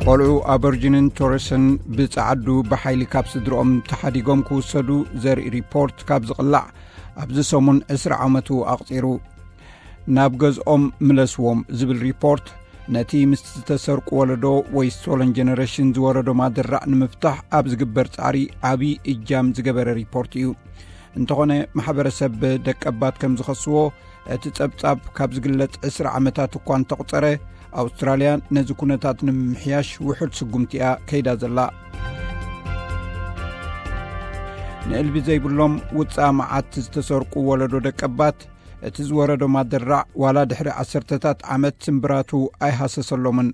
ቆልዑ ኣበርጅንን ቶረስን ብጸዓዱ ብሓይሊ ካብ ስድርኦም ተሓዲጎም ክውሰዱ ዘርኢ ሪፖርት ካብ ዝቕላዕ ኣብዚ ሰሙን ዕስራ ዓመቱ ኣቕጺሩ። ናብ ገዝኦም ምለስዎም ዝብል ሪፖርት ነቲ ምስ ዝተሰርቁ ወለዶ ወይ ስቶለን ጀነሬሽን ዝወረዶም ኣደራዕ ንምፍታሕ ኣብ ዝግበር ጻዕሪ ዓብዪ እጃም ዝገበረ ሪፖርት እዩ። እንተኾነ ማሕበረሰብ ደቀባት ከም ዝኸስዎ እቲ ጸብጻብ ካብ ዝግለጽ ዕስራ ዓመታት እኳ እንተቑጸረ ኣውስትራልያ ነዚ ኩነታት ንምምሕያሽ ውሑድ ስጉምቲ እያ ከይዳ ዘላ። ንእልቢ ዘይብሎም ውጻእ መዓት ዝተሰርቁ ወለዶ ደቀባት እቲ ዝወረዶም ኣደራዕ ዋላ ድሕሪ ዓሰርተታት ዓመት ስምብራቱ ኣይሃሰሰሎምን።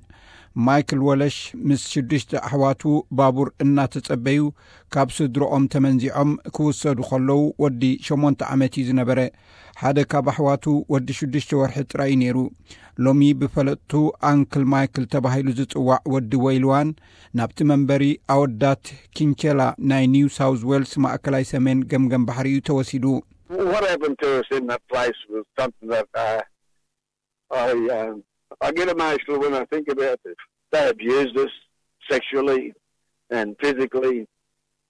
ማይክል ወለሽ ምስ ሽዱሽተ ኣሕዋቱ ባቡር እናተጸበዩ ካብ ስድሮኦም ተመንዚዖም ክውሰዱ ከለዉ ወዲ ሸሞንተ ዓመት እዩ ዝነበረ። ሓደ ካብ ኣሕዋቱ ወዲ ሽዱሽተ ወርሒ ጥራይ እዩ ነይሩ። ሎሚ ብፈለጥቱ ኣንክል ማይክል ተባሂሉ ዝጽዋዕ ወዲ ወይልዋን ናብቲ መንበሪ ኣወዳት ኪንቸላ ናይ ኒው ሳውዝ ዌልስ ማእከላይ ሰሜን ገምገም ባሕሪ እዩ ተወሲዱ። What happened to us in that place was something that I, I, um, I get emotional when I think about it. They abused us sexually and physically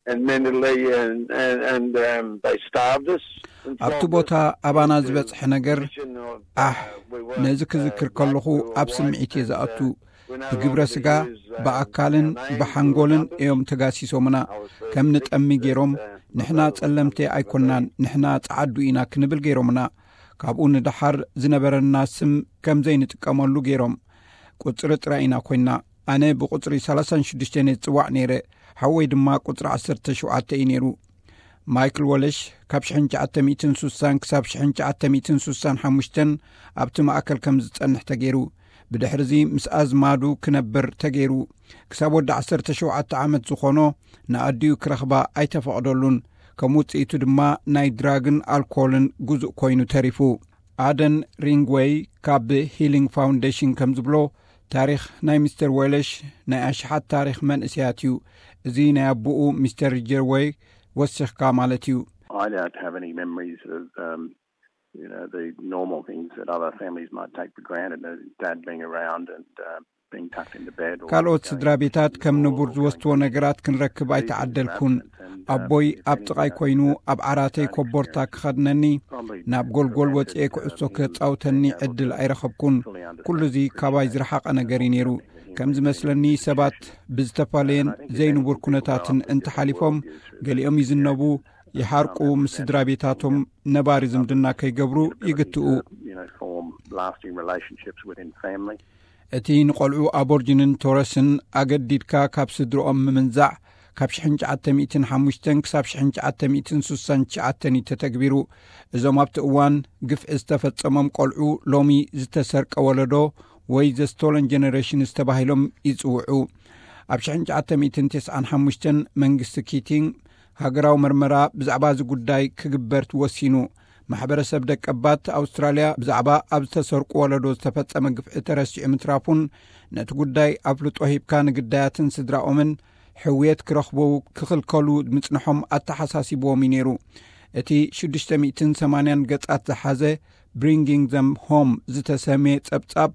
and mentally and, and, and um, they starved us. And ኣብቲ ቦታ ኣባና ዝበጽሐ ነገር ኣሕ፣ ነዚ ክዝክር ከለኹ ኣብ ስምዒት እየ ዝኣቱ። ብግብረ ስጋ፣ ብኣካልን ብሓንጎልን እዮም ተጋሲሶምና። ከም ንጠሚ ገይሮም፣ ንሕና ጸለምቲ ኣይኮናን፣ ንሕና ጸዓዱ ኢና ክንብል ገይሮምና። ካብኡ ንደሓር ዝነበረና ስም ከም ዘይንጥቀመሉ ገይሮም። ቁጽሪ ጥራይ ኢና ኮይና። ኣነ ብቁጽሪ ሰላሳን ሽዱሽተን እየ ዝጽዋዕ ነይረ፣ ሓወይ ድማ ቁጽሪ ዓሰርተ ሸውዓተ እዩ ነይሩ። ማይክል ወለሽ ካብ ሽሕን ትሽዓተ ሚእትን ሱሳን ክሳብ ሽሕን ትሽዓተ ሚእትን ሱሳን ሓሙሽተን ኣብቲ ማእከል ከም ዝጸንሕ ተገይሩ። ብድሕርዚ ምስ ኣዝማዱ ክነብር ተገይሩ። ክሳብ ወዲ ዓሰርተ ሸውዓተ ዓመት ዝኾኖ ንኣዲኡ ክረኽባ ኣይተፈቕደሉን። ከም ውጽኢቱ ድማ ናይ ድራግን ኣልኮልን ጉዙእ ኮይኑ ተሪፉ። ኣደን ሪንግወይ ካብ ሂሊንግ ፋውንዴሽን ከም ዝብሎ፣ ታሪኽ ናይ ሚስተር ወለሽ ናይ ኣሽሓት ታሪኽ መንእሰያት እዩ። እዚ ናይ ኣቦኡ ሚስተር ጀርወይ ወሲኽካ ማለት እዩ። I don't have any memories of, um, you know, the normal things that other families might take for granted, uh, dad being around and uh, being tucked into bed. Or ካልኦት ስድራ ቤታት ከም ንቡር ዝወስድዎ ነገራት ክንረክብ ኣይተዓደልኩን። ኣቦይ ኣብ ጥቓይ ኮይኑ ኣብ ዓራተይ ኮቦርታ ክኸድነኒ፣ ናብ ጎልጎል ወጽኤ ኩዕሶ ክጻውተኒ ዕድል ኣይረኸብኩን። ኩሉ እዚ ካባይ ዝረሓቐ ነገር እዩ ነይሩ። ከም ዝመስለኒ ሰባት ብዝተፈላለየን ዘይንቡር ኩነታትን እንተሓሊፎም፣ ገሊኦም ይዝነቡ፣ ይሓርቁ፣ ምስ ስድራ ቤታቶም ነባሪ ዝምድና ከይገብሩ ይግትኡ። You know, form lasting relationships within family. እቲ ንቆልዑ ኣቦርጅንን ቶረስን ኣገዲድካ ካብ ስድርኦም ምምንዛዕ ካብ ሽሕን ትሽዓተ ሚእትን ሓሙሽተን ክሳብ ሽሕን ትሽዓተ ሚእትን ሱሳን ትሽዓተን እዩ ተተግቢሩ። እዞም ኣብቲ እዋን ግፍዒ ዝተፈጸሞም ቆልዑ ሎሚ ዝተሰርቀ ወለዶ ወይ ዘ ስቶለን ጀነሬሽንስ ተባሂሎም ይጽውዑ። ኣብ ሽሕን ትሽዓተ ሚእትን ተስዓን ሓሙሽተን መንግስቲ ኪቲንግ ሃገራዊ መርመራ ብዛዕባ እዚ ጉዳይ ክግበር ወሲኑ። ማሕበረሰብ ደቀባት ኣውስትራልያ ብዛዕባ ኣብ ዝተሰርቁ ወለዶ ዝተፈጸመ ግፍዒ ተረሲዑ ምትራፉን ነቲ ጉዳይ ኣፍልጦ ሂብካ ንግዳያትን ስድራኦምን ሕውየት ክረኽቡ ክኽልከሉ ምጽንሖም ኣተሓሳሲብዎም እዩ ነይሩ። እቲ ሽዱሽተ ሚእትን ሰማንያን ገጻት ዝሓዘ ብሪንጊንግ ዘም ሆም ዝተሰምየ ጸብጻብ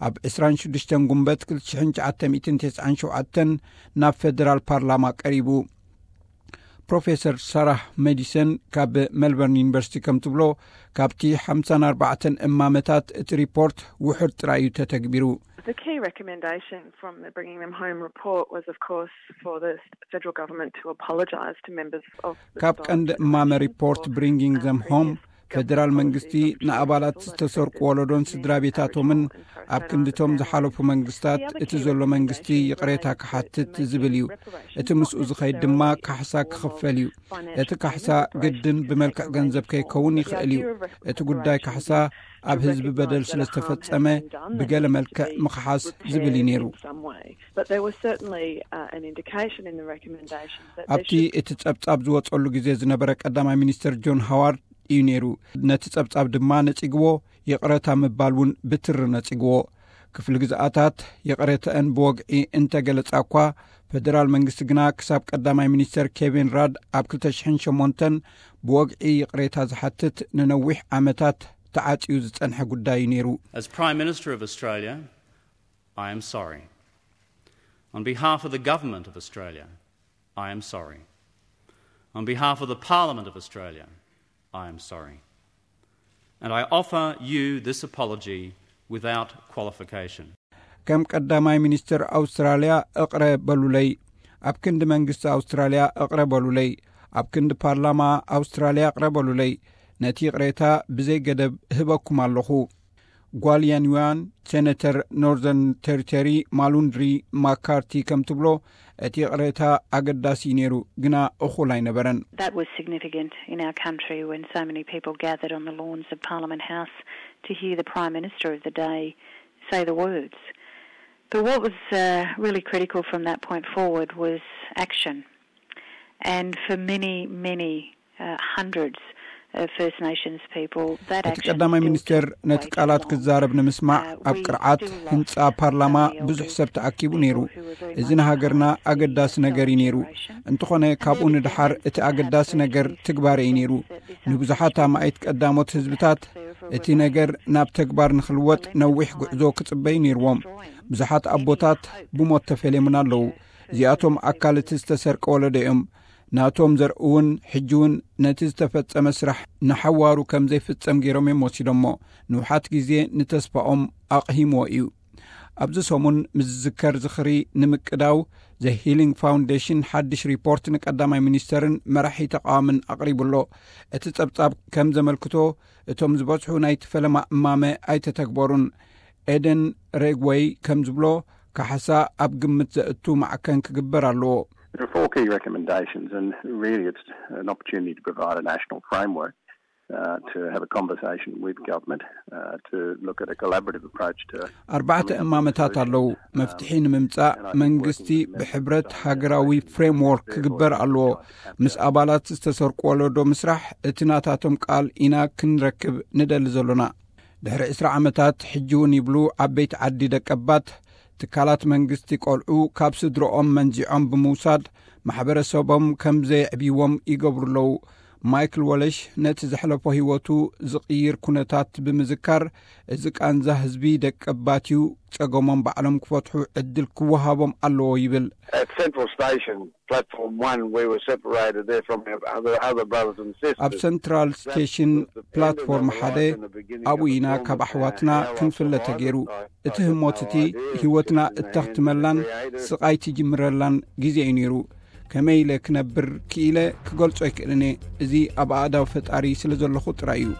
ኣብ ዕስራን ሽዱሽተን ጉንበት ክልተ ሽሕን ትሽዓተ ሚእትን ተስዓን ሸውዓተን ናብ ፌደራል ፓርላማ ቀሪቡ። ፕሮፌሰር ሳራህ ሜዲሰን ካብ ሜልበርን ዩኒቨርሲቲ ከም ትብሎ፣ ካብቲ ሓምሳን ኣርባዕተን እማመታት እቲ ሪፖርት ውሑድ ጥራይ እዩ ተተግቢሩ። The key recommendation from the Bringing Them Home report was, of course, for the federal government to apologise to members of the ካብ ቀንዲ እማመ ሪፖርት ብሪንጊንግ ዘም ሆም፣ ፌደራል መንግስቲ ንኣባላት ዝተሰርቁ ወለዶን ስድራ ቤታቶምን ኣብ ክንድቶም ዝሓለፉ መንግስታት እቲ ዘሎ መንግስቲ ይቕሬታ ክሓትት ዝብል እዩ። እቲ ምስኡ ዝኸይድ ድማ ካሕሳ ክኽፈል እዩ። እቲ ካሕሳ ግድን ብመልክዕ ገንዘብ ከይከውን ይኽእል እዩ። እቲ ጉዳይ ካሕሳ ኣብ ህዝቢ በደል ስለ ዝተፈጸመ ብገለ መልክዕ ምኽሓስ ዝብል እዩ ነይሩ። But there was certainly uh, an indication in the recommendation that there ኣብቲ እቲ ጸብጻብ ዝወጸሉ ግዜ ዝነበረ ቀዳማይ ሚኒስትር ጆን ሃዋርድ እዩ ነይሩ። ነቲ ጸብጻብ ድማ ነጺግዎ፣ ይቕረታ ምባል እውን ብትሪ ነጺግዎ። ክፍሊ ግዝኣታት ይቕሬተአን ብወግዒ እንተገለጻ እኳ፣ ፈደራል መንግስቲ ግና ክሳብ ቀዳማይ ሚኒስተር ኬቪን ራድ ኣብ ክልተ ሽሕን ሸሞንተን ብወግዒ ይቕሬታ ዝሓትት ንነዊሕ ዓመታት ተዓጽዩ ዝጸንሐ ጉዳይ እዩ ነይሩ። As Prime Minister of Australia, I am sorry. On behalf of the Government of Australia, I am sorry. On behalf of the Parliament of Australia, I am sorry. And I offer you this apology without qualification. ከም ቀዳማይ ሚኒስትር ኣውስትራልያ እቕረ በሉለይ፣ ኣብ ክንዲ መንግስቲ ኣውስትራልያ እቕረ በሉለይ፣ ኣብ ክንዲ ፓርላማ ኣውስትራልያ እቕረ በሉለይ። ነቲ ይቕሬታ ብዘይ ገደብ እህበኩም ኣለኹ። ጓል ያንዋን ሴነተር ኖርዘርን ቴሪቶሪ ማሉንድሪ ማካርቲ ከም ትብሎ፣ እቲ ይቕሬታ ኣገዳሲ እዩ ነይሩ፣ ግና እኹል ኣይነበረን። That was significant in our country when so many people gathered on the lawns of Parliament House to hear the Prime Minister of the day say the words. But what was uh, really critical from that point forward was action. And for many, many uh, hundreds of First Nations people, that እቲ action ቀዳማይ still ሚኒስትር took ነቲ way too ቃላት long. ክዛረብ ንምስማዕ Uh, ኣብ we ቅርዓት still lost ህንፃ ፓርላማ some of the ብዙሕ elders, ሰብ ተኣኪቡ ነይሩ። people who were very እዚ much ንሃገርና part of the ኣገዳሲ ነገር እዩ Southern ነይሩ። Generation. እንተኾነ ካብኡ ንድሓር እቲ ኣገዳሲ ነገር ትግባረ እዩ ነይሩ። ንብዙሓት ኣማኢት ቀዳሞት ህዝብታት እቲ ነገር ናብ ተግባር ንኽልወጥ ነዊሕ ጉዕዞ ክጽበዩ ነይርዎም። ብዙሓት ኣቦታት ብሞት ተፈልየሙና ኣለዉ። እዚኣቶም ኣካል እቲ ዝተሰርቀ ወለዶ እዮም። ናቶም ዘርእውን ሕጂ እውን ነቲ ዝተፈጸመ ስራሕ ንሓዋሩ ከም ዘይፍጸም ገይሮም እዮም ወሲዶሞ። ንውሓት ግዜ ንተስፋኦም ኣቕሂምዎ እዩ። ኣብዚ ሰሙን ምስ ዝዝከር ዝኽሪ ንምቅዳው፣ ዘ ሂሊንግ ፋውንዴሽን ሓድሽ ሪፖርት ንቀዳማይ ሚኒስተርን መራሒ ተቃዋምን ኣቕሪቡ ኣሎ። እቲ ጸብጻብ ከም ዘመልክቶ፣ እቶም ዝበዝሑ ናይቲ ፈለማ እማመ ኣይተተግበሩን። ኤደን ሬግወይ ከም ዝብሎ፣ ካሕሳ ኣብ ግምት ዘእቱ ማዕከን ክግበር ኣለዎ። There are four key recommendations, and really it's an opportunity to provide a national framework uh, to have a conversation with government uh, to look at a collaborative approach to ኣርባዕተ እማመታት ኣለዉ። መፍትሒ ንምምጻእ መንግስቲ ብሕብረት ሃገራዊ ፍሬምዎርክ ክግበር ኣለዎ። ምስ ኣባላት ዝተሰርቁ ወለዶ ምስራሕ እቲ ናታቶም ቃል ኢና ክንረክብ ንደሊ ዘሎና። ድሕሪ ዕስራ ዓመታት ሕጂ እውን ይብሉ ዓበይቲ ዓዲ ደቀባት፣ ትካላት መንግስቲ ቆልዑ ካብ ስድረኦም መንዚዖም ብምውሳድ ማሕበረሰቦም ከም ዘየዕብይዎም ይገብሩ ኣለዉ። ማይክል ወለሽ ነቲ ዘሕለፎ ህይወቱ ዝቕይር ኩነታት ብምዝካር፣ እዚ ቃንዛ ህዝቢ ደቀባት እዩ፣ ጸገሞም ባዕሎም ክፈትሑ ዕድል ክወሃቦም ኣለዎ ይብል። At Central Station, platform one, we were separated there from our other, other brothers and sisters. ኣብ ሰንትራል ስቴሽን ፕላትፎርም ሓደ ኣብኡ ኢና ካብ ኣሕዋትና ክንፍለ ተገይሩ። እቲ ህሞት እቲ ህይወትና እተኽትመላን ስቓይ ትጅምረላን ግዜ እዩ ነይሩ። ከመይ ኢለ ክነብር ክኢለ ክገልጾ ኣይክእልን እየ። እዚ ኣብ ኣእዳው ፈጣሪ ስለ ዘለኹ ጥራይ እዩ።